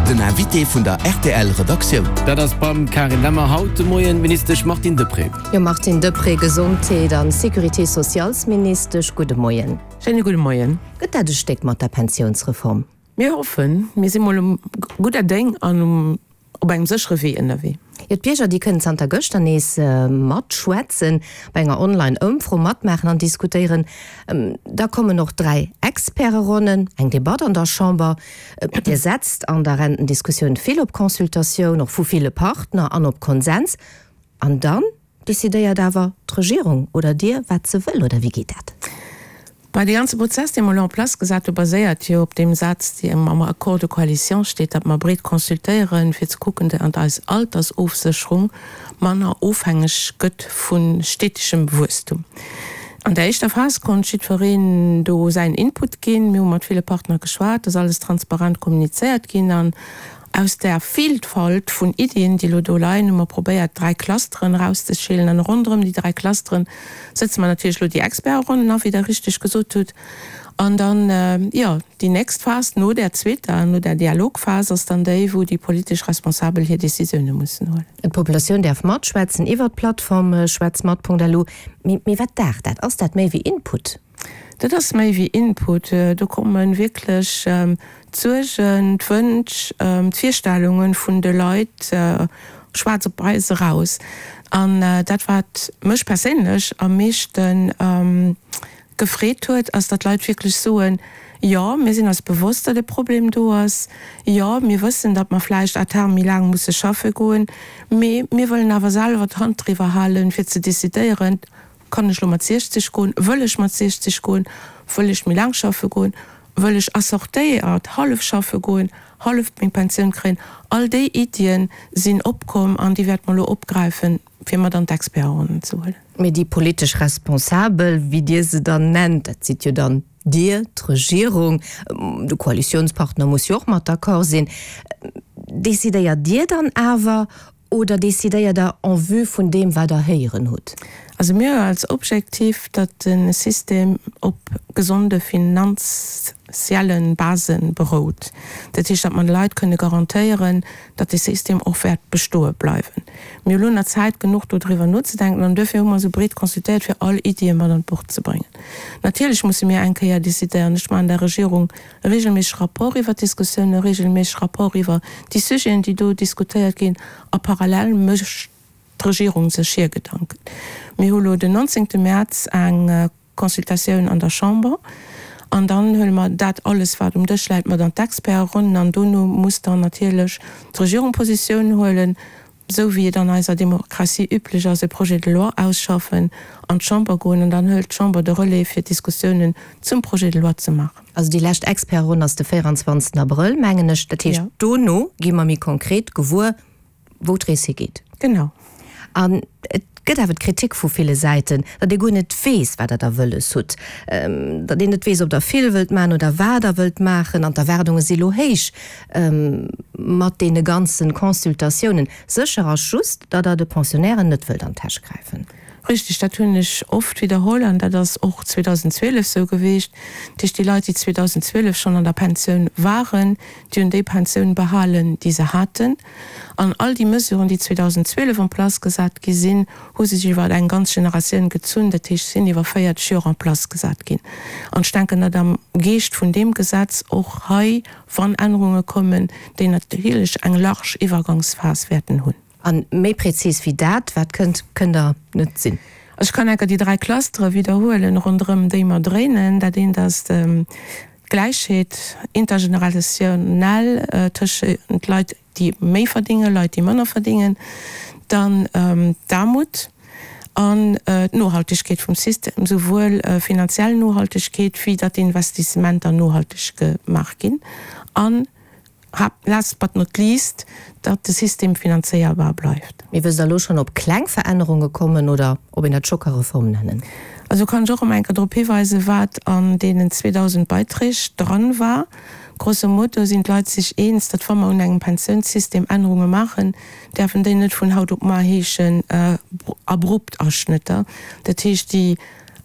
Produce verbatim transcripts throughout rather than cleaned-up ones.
Den Invité vun der R T L Redaktioun. Dat ass beim Karin Lemmer haut de Moien d'Ministesch Martine Deprez. Jo, Martine Deprez, Gesondheet an Sécurité socialesministesch, gudde Moien. Schéine gudde Moien. Gëtt dat e Stéck mat der Pensiounsreform? Mir hoffen, mir si mol um gudder Déng an um op engem séchere Wee ënnerwee. Jo, d'Bierger, déi kënnen zanter gëschter nees matschwätzen, bei enger Online-Ëmfro matmaachen an diskutéieren. Da kommen och dräi Experteronnen, eng Debatt an der Chamber. Dir setzt an der Rentendiskussioun vill op Consultatioun, och vu ville Partner, an op Konsens. An dann decidéiert awer d'Regierung oder Dir, wat se wëll, oder wéi geet dat? Bah, dee ganze Prozess, dee mer elo en place gesat hu, baséiert jo op deem Saz, deen am Accord de coalition steet, datt mer breet consultéieren, fir ze kucken, datt eis Altersofsécherung manner ofhängeg gëtt vu stetegem Wuesstum. An der éischter Phas konnt jiddwereen do säin Input ginn. Mir hu mat ville Partner geschwat, et ass alles transparent kommunizéiert ginn an aus där Vielfalt vun Iddien, déi elo do leien, hu mer probéiert, dräi Clusteren erauszeschélen. An ronderëm déi dräi Clusteren sëtze mer natierlech elo déi Experteronnen a, wéi Der richteg gesot hutt. An dann, jo, déi nächst Phas no där zweeter, no där Dialogphas ass dann déi, wou déi politesch Responsabel hir Décisioune mussen huelen. D'Populatioun däerf matschwätzen iwwert d'Plattform schwätzmat Punkt L U. Mee wat daacht dat? Ass dat méi wéi Input? Dat ass méi wéi Input. Do komme wierklech d'Suergen, d'Wënsch, d'Virstellunge vun de Leit schwaarz op wäiss eraus. An dat, wat mech perséinlech am meeschte gefreet huet, ass, datt d'Leit wierklech soen, Jo, mir sinn eis bewosst, datt e Problem do ass. Jo, mir wëssen, datt mer vläicht à terme méi laang musse schaffe goen, mee mir wëllen awer selwer d'Hand driwwer halen, fir ze decidéieren, Kann ech lo mat siechzeg goen? Wëll ech mat siechzeg goen? Wëll ech méi laang schaffe goen? Wëll ech assortéiert hallef schaffe goen, hallef meng Pensioun kréien? All déi Iddien sinn opkomm an déi wäerte mer elo opgräifen, fir mat an d'Experteronnen ze huelen. Mee déi politesch Responsabel, wéi Dir se dann nennt, dat sidd jo dann Dir, d'Regierung, de Koalitiounspartner muss jo och mat d'accord sinn, decidéiert Dir dann awer oder decidéiert Der en vue vun deem, wat Der héieren hutt? Also mir hu als Objektiv, datt de System op gesonde finanzielle Base berout. Dat heescht, datt mer de Leit kënne garantéieren, datt de System och wäert bestoe bleiwen. Mir hu lo nach Zäit genuch dodriwwer nozedenken an duerfir hu mer esou breet consultéiert, fir all Iddie mat an d'Bord ze bréngen. Natierlech musse mir eng Kéier decidéieren. Ech maachen der Regierung e regelméisseg Rapport iwwer d'Diskussiounen, e regelméisseg Rapport iwwer déi Sujeten, déi do diskutéiert ginn a parallel mécht d'Regierung sech hir Gedanken. Mir hu lo den nonzéngte Mäerz eng Consultatioun an der Chamber an dann huele mer dat alles, wat um Dësch läit, mat an d'Experteronnen an dono muss dann natierlech d'Regierung Positioun huelen, esou wéi et an eiser Demokratie üblech ass, e Projet de loi ausschaffen, an d'Chamber goen an dann hëlt d'Chamber de Relais fir d'Diskussiounen zum Projet de loi ze maachen. Also déi lescht Experteronn ass de véieranzwanzegsten Abrëll, mengen ech. Dat heescht, dono gi mer méi konkret gewuer, wou d'Rees higeet. Genau. An et gëtt awer d'Kritik vu ville Säiten, datt ee guer net weess, wat Der da wëlles hutt, datt een net weess, ob Der vill wëllt maachen oder wat Der wëllt maachen. An d'Erwaardunge si lo héich mat deene ganze Consultatiounen. Sécher ass just, datt Der de Pensionnairen net wëllt an d'Täsch gräifen. Richtig, dat hunn ech oft widderholl an dat ass och zweedausendzwielef esou gewiescht. Dat heescht, déi Leit, déi zweedausendzwielef schonn an der Pensioun waren, déi hunn déi Pensioun behalen, déi se haten. An all déi Mesuren, déi zweedausendzwielef en place gesat gi sinn, hu sech iwwer eng ganz Generatioun gezunn, dat heescht, sinn iwwer véierzeg Joer en place gesat ginn. An ech denken, datt am Geescht vun deem Gesetz och hei, wann Ännerunge kommen, déi natierlech eng large Iwwergangsphas wäerten hunn. A méi präzis wéi dat, wat kënnt, kënnt Der net sinn. Ech kann enker déi dräi Clustere widderhuelen, ronderëm déi mer dréinen. Dat eent ass d'Gläichheet intergenerationnel tëschent Leit, déi méi verdéngen, Leit, déi manner verdéngen. Dann d'Aarmut an d'Nohaltegkeet vum System, souwuel finanziell Nohaltegkeet wéi datt d'Investissementer nohalteg gemaach ginn. An last but not least, datt de System finanzéierbar bleift. Mee wësst Der elo schonn, ob kleng Verännerunge kommen oder ob een dat scho ka Reform nennen? Also kann ech och erëm eng Kéier drop hiweisen, wat an deenen zweedausend Beiträg dran war. Grosso modo sinn d'Leit sech eens, datt wa mer un engem Pensiounssystem Ännerunge maachen, däerfen déi net vun haut op mar heeschen abrupt Aschnëtter. Dat heescht, déi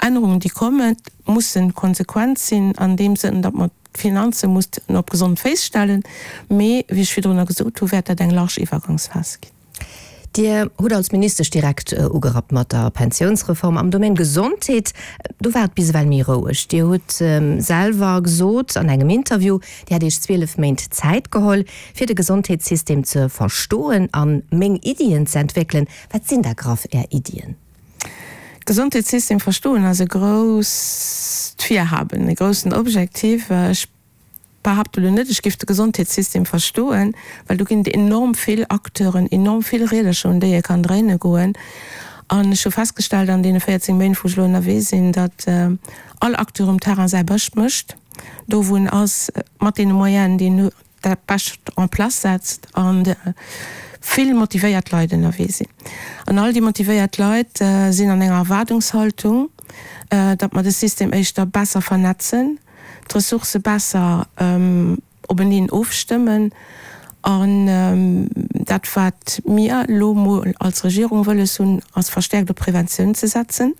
Ännerungen, déi kommen, mussen konsequent sinn an deem Sënn, datt mer d'Finanze musst op gesond Féiss stellen, mee wéi ech virdrunner gesot hu wäert dat eng large Iwwergangsphas ginn. Dir hutt als Ministesch direkt ugerappt mat der Pensiounsreform. Am Domaine Gesondheet, do war et bis ewell méi roueg. Dir hutt selwer gesot an engem Interview, Dir hätt Iech zwielef Méint Zäit geholl, fir de Gesondheetssystem ze verstoen a meng Iddien ze entwéckelen. Wat sinn da graff Är Iddien? Gesondheetssystem verstoen ass e grousst Virhaben, e groussen Objektiv. Ech behaapte elo net, ech géif de Gesondheetssystem verstoen, well do ginn et enorm vill Acteuren, enorm vill Riedercher, un déi ee kann dréine goen. An ech hu festgestallt an deene véierzéng Méint, wou ech elo ënnerwee sinn, datt all Acteur um Terrain säi Bescht mécht, do wou en ass, mat deene Moyenen, déi en huet, dat Bescht en place setzt an vill motivéiert Leit ënnerwee sinn. An all déi motivéiert Leit sinn an enger Erwaardungshaltung, datt mer de System éischter besser vernetzen, d'Ressourcë besser openeen ofstëmmen an dat wat mir elo mol als Regierung wëlles hunn, ass verstäerkt op Preventioun ze setzen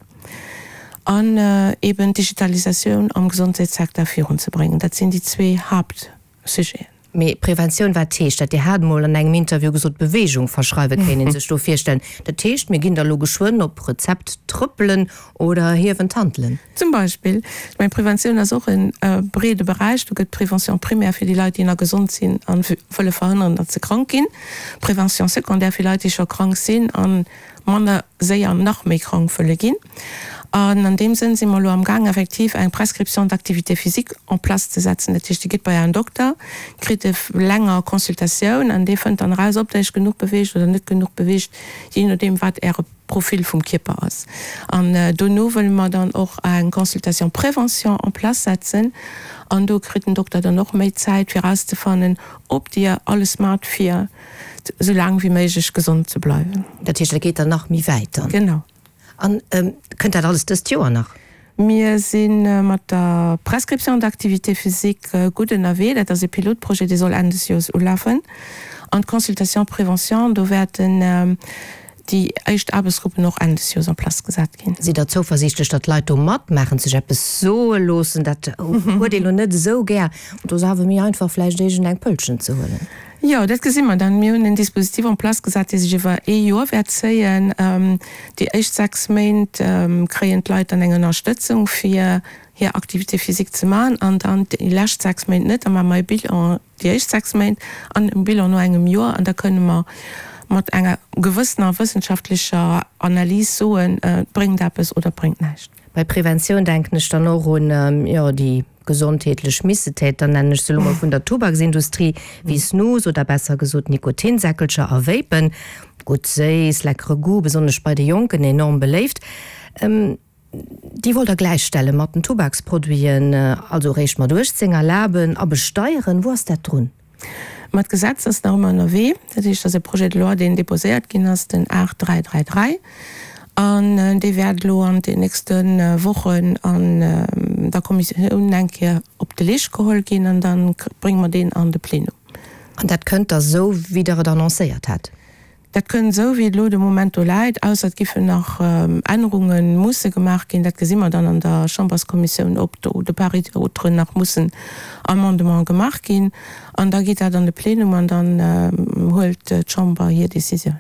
an eben d'Digitalisatioun am Gesondheetssecteur virunzebréngen. Dat sinn déi zwee Haapt. Sujeten. Mee Preventioun, wat heescht dat? Dir hat emol an engem Interview gesot, Beweegung verschreiwen, kéint ee sech do virstellen. Dat heescht, mir ginn da lo geschwënn op Rezept trëppelen oder hiewen d'Hantelen? Zum Beispill. Ech mengen, Preventioun ass och e breede Beräich. Do gëtt Prévention primaire fir déi Leit, déi nach gesond sinn a wëlle verhënneren, datt se krank ginn, Prévention secondaire fir Leit, déi scho krank sinn a manner séier nach méi krank wëlle ginn. An an deem Sënn si mer elo amgaang effektiv eng Prescription d'activité physique en place ze setzen. Dat heescht, Dir gitt bei Ären Dokter, kritt e länger Consultatioun an dee fënnt dann eraus, ob Der Iech genuch beweegt oder net genuch beweegt, jee nodeem wat Äre Profil vum Kierper ass. An dono wëlle mer dann och eng Consultation prévention en place setzen an do kritt den Dokter dann och méi Zäit fir erauszefannen, ob Dir alles maacht fir esou laang wéi méiglech gesond ze bleiwen. Dat heescht, dat geet dann nach méi wäit dann? Genau. An kënnt dat alles dëst Joer nach? Mir si mat der Prescription d'activité physique gutt ënnerwee. Dat ass e Pilotprojet, dee soll Enn des Joers ulafen. An d'Consultation prévention, do wäerten déi éischt Aarbechtsgruppen och Enn des Joers en place gesat ginn. Sidd Der zouversiichtlech, datt d'Leit do matmaachen, sech eppes soe loossen? Dat huet ee lo net esou gär. Do ass awer méi einfach, vläicht iergend eng Pëllchen ze huelen. Jo, dat gesi mer dann. Mir hunn en Dispositif en place gesat, dee sech iwwer ee Joer wäert zéien. Déi éischt sechs Méint kréien d'Leit dann eng Ënnerstëtzung, fir hir Activité physique ze maachen, an dann déi lescht sechs Méint net. Da maache mer e Bilan déi éischt sechs Méint an e Bilan no engem Joer, an da kënne mer mat enger gewëssener wëssenschaftlecher Analys soen, et bréngt eppes oder et bréngt näischt. Bei Preventioun denken ech dann och un, jo, déi gesondheetlech Missetäter, nennen ech se elo mol, vun der Tubaksindustrie, wéi Snus oder besser gesot Nikotinsäckelcher a Vapen. Gutt séiss, leckere Goût, besonnesch bei de Jonken enorm beléift. Déi wollt Der gläichstelle mat den Tubaksproduiten, also eréischt mat uechtzéng erlaben a besteieren. Wou ass dat drun? Ma d'Gesetz ass nach ëmmer ënnerwee. Dat heescht, dat ass e Projet de loi, deen déposéiert ginn ass, den aacht dräi dräi dräi. An dee wäert elo an den nächste Wochen an der Kommissioun eng Kéier op de Leescht geholl ginn an da brénge mer deen an de Plenum. An dat kënnt da sou, wéi Der et annoncéiert hat? Dat kënnt esou, wéi et elo de Moment do läit, ausser et giffen nach Ännerunge musse gemaach ginn. Dat gesi mer dann an der Chamberskommissioun, ob do de part et autre nach mussen Amendementen gemaach ginn. An da geet dat an de Plenum an dann huelt d'Chamber hir Décisioun.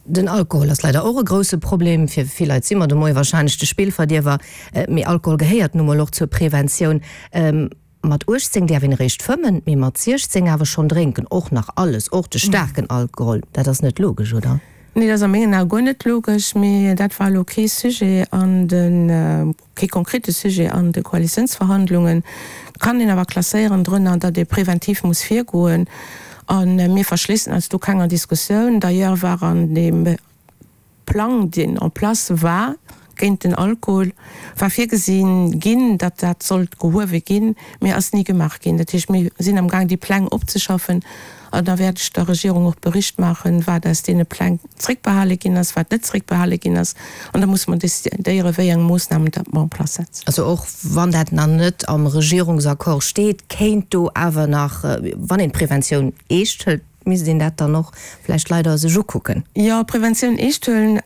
Den Alkohol ass leider och e grousse Problem. Fir vill Leit si mer de Moie wahrscheinlech de Spillverdierwer. Mee Alkohol gehéiert nu mol och zur Preventioun. Mat uechtzéng däerf een eréischt fëmmen, mee mat siechzéng awer schonn drénken. Och nach alles, och de staarken Alkohol. Dat ass net logesch, oder? Nee, dat ass a mengen Ae guer net logesch. Mee dat war elo kee Sujet an de, kee konkrete Sujet an de Koalitiounsverhandlungen. Kann een awer klasséieren drënner, datt ee preventiv muss virgoen. A mir verschléissen eis do kenger Diskussioun. D'ailleurs war an deem Plang, deen en place war géint den Alkohol, war virgesi ginn, datt dat sollt gehuewe ginn, mee ass ni gemaach ginn. Dat heescht, mir sinn amgaang déi Pläng opzeschaffen an da wäert ech der Regierung och Bericht maachen, wat aus deene Pläng zréckbehale ginn ass, wat net zréckbehale ginn ass. An da musse mer decidéieren, wéi eng Moossnamen datt mer en place setzen. Also och wann dat nach net am Regierungsaccord steet, kéint do awer nach, wann een d'Preventioun eescht hëlt, misst een dat dann och vläicht leider sech ukucken. Jo, Preventioun eescht huelen.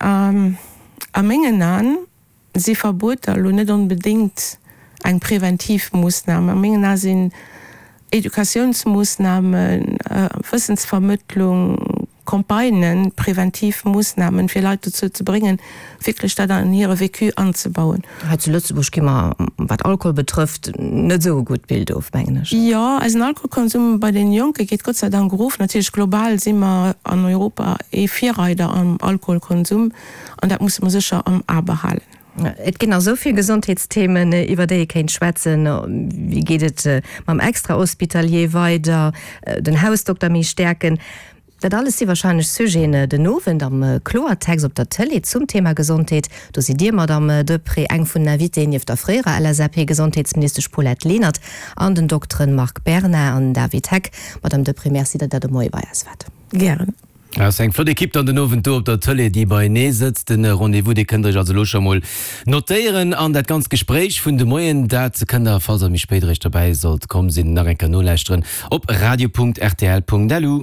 A mengen Aen si Verbueter elo net onbedéngt eng preventiv Moossnam. A mengen Ae sinn Educatiounsmoossnamen, Wëssensvermëttlung, Campagnen, preventiv Moossnamen, fir Leit dozou ze bréngen, wierklech dat an hire Vécu anzebauen. Hei zu Lëtzebuerg gi mer, wat Alkohol betrëfft, net esou e gutt Bild of, mengen ech. Jo, eisen Alkoholkonsum bei den Jonke geet Gott sei Dank erof. Natierlech global si mer an Europa ee Virreider am Alkoholkonsum an dat musse mer sécher am A behalen. Et ginn nach esou vill Gesondheetsthemen, iwwer déi ee kéint schwätzen. Wéi geet et mam Extra-hospitalier weider, den Hausdokter méi stäerken? Dat alles si warscheinlech Sujeten den Owend am Kloertext op der Tëlee zum Thema Gesondheet. Do sidd Dir, Madamm Deprez, eng vun den Invitéen, nieft der fréierer LSAP-Gesondheetsministesch Paulette Lenert an den Dokteren Marc Berna an David Heck. Madamm Deprez, Merci, datt Der de Moie bei eis waart. Gären. Ass eng flott Ekipp dann den Owend do op der Tëlee, déi beienee sëtzt. Den Rendez-vous, dee kënnt der iech also elo scho mol notéieren. An dat ganzt Gespréich vun de Moien, dat kënnt der, falls der méi spéit eréischt derbäi sollt komm sinn, nach eng Kéier nolauschteren op radio.rtl.lu.